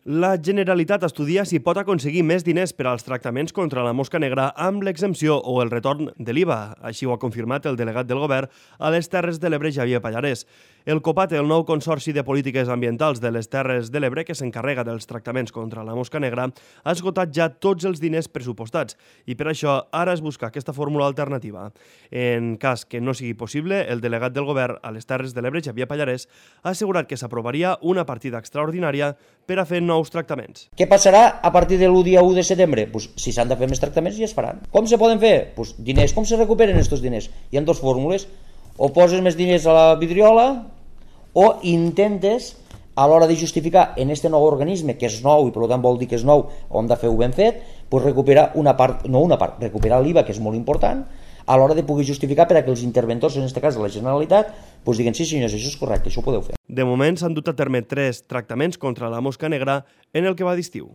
La Generalitat estudia si pot aconseguir més diners per als tractaments contra la mosca negra amb l'exempció o el retorn de l'IVA. Així ho ha confirmat el delegat del govern a les Terres de l'Ebre, Xavier Pallarès. El COPATE, el nou Consorci de Polítiques Ambientals de les Terres de l'Ebre, que s'encarrega dels tractaments contra la mosca negra, ha esgotat ja tots els diners pressupostats i per això ara es busca aquesta fórmula alternativa. En cas que no sigui possible, el delegat del govern a les Terres de l'Ebre, Xavier Pallarès, ha assegurat que s'aprovaria una partida extraordinària per a fer nous tractaments. Què passarà a partir de l'1 dia 1 de setembre? Si s'han de fer més tractaments ja es faran. Com se poden fer? Diners. Com se recuperen aquests diners? Hi ha dues fórmules. O poses més diners a la vidriola o intentes, a l'hora de justificar en aquest nou organisme, que és nou i per tant vol dir que és nou, o hem de fer-ho ben fet, recuperar recuperar l'IVA, que és molt important, a l'hora de poder justificar per a que els interventors, en aquest cas de la Generalitat, diguen sí senyors, això és correcte, això ho podeu fer. De moment s'han dut a terme 3 tractaments contra la mosca negra en el que va d'estiu.